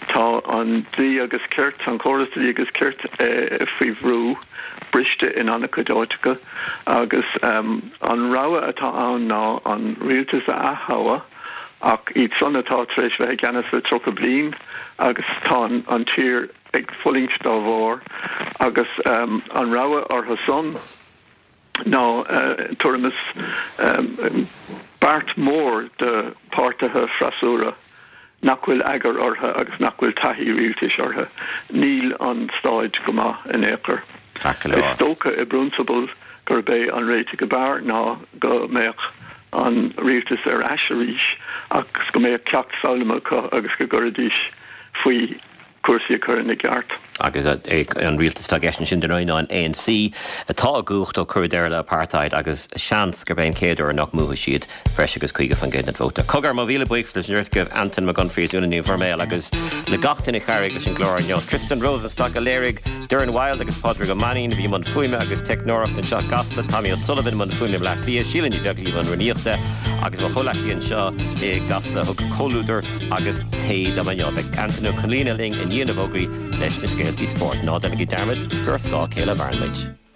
Tá an dlí agus cirt, an córas dlí agus cirt faoi bhrú, briste in an-chuid áiteacha agus an rogha atá ann ná an rialtas a ath-thoghadh ach iad san atá tar éis bheith i gceannas le tríocha bliain agus tá an tír ag fulaingt dá bharr agus an rogha orthu san ná tuairim is beart mór de páirtithe freasúra nach bhfuil eagar orthu agus nach bhfuil taithí rialtais orthu. Níl an staid go maith in aon chor. Is dócha i bprionsabal gurb é an réiteach ab fhearr ná go mbeadh an rialtas ar ais arís agus go mbeadh ceacht foghlamtha acu agus go gcuirfidís faoi cúrsaí a chur ina gceart. Agus an rialtas atá i gceist ansin dar ndóigh ná an ANC atá i gcumhacht ó cuireadh deireadh le apartheid agus seans gurb é an chéad uair nach mbuafaidh siad breis agus caoga faoin gcéad den vóta. Cogar, mo mhíle buíochas leis an bheirt agaibh, Antain Mac Unfraidh is Úna Ní Mhuirméil agus le gach duine a chabhraigh leis an gclár inniu. Tristan Rosenstock a léirigh, Doireann Wilde agus Pádraig Ó Mainnín a bhí i mbun fuaime agus teicneoireachta anseo i gCasla, Tommy O'Sullivan i mbun fuaime i mBleá Cliath, Síle Ní Bheaglaoich i mbun rúnaíochta agus mo chomhleacaí anseo i gCasla a thug comhluadar agus tae dom inniu. Beidh Antain Ó Conghaile linn i ndiaidh na bhfógraí leis na scéaltaí spóirt. Ná déanaigí dearmad gur ar scáth a chéile a mhaireann muid.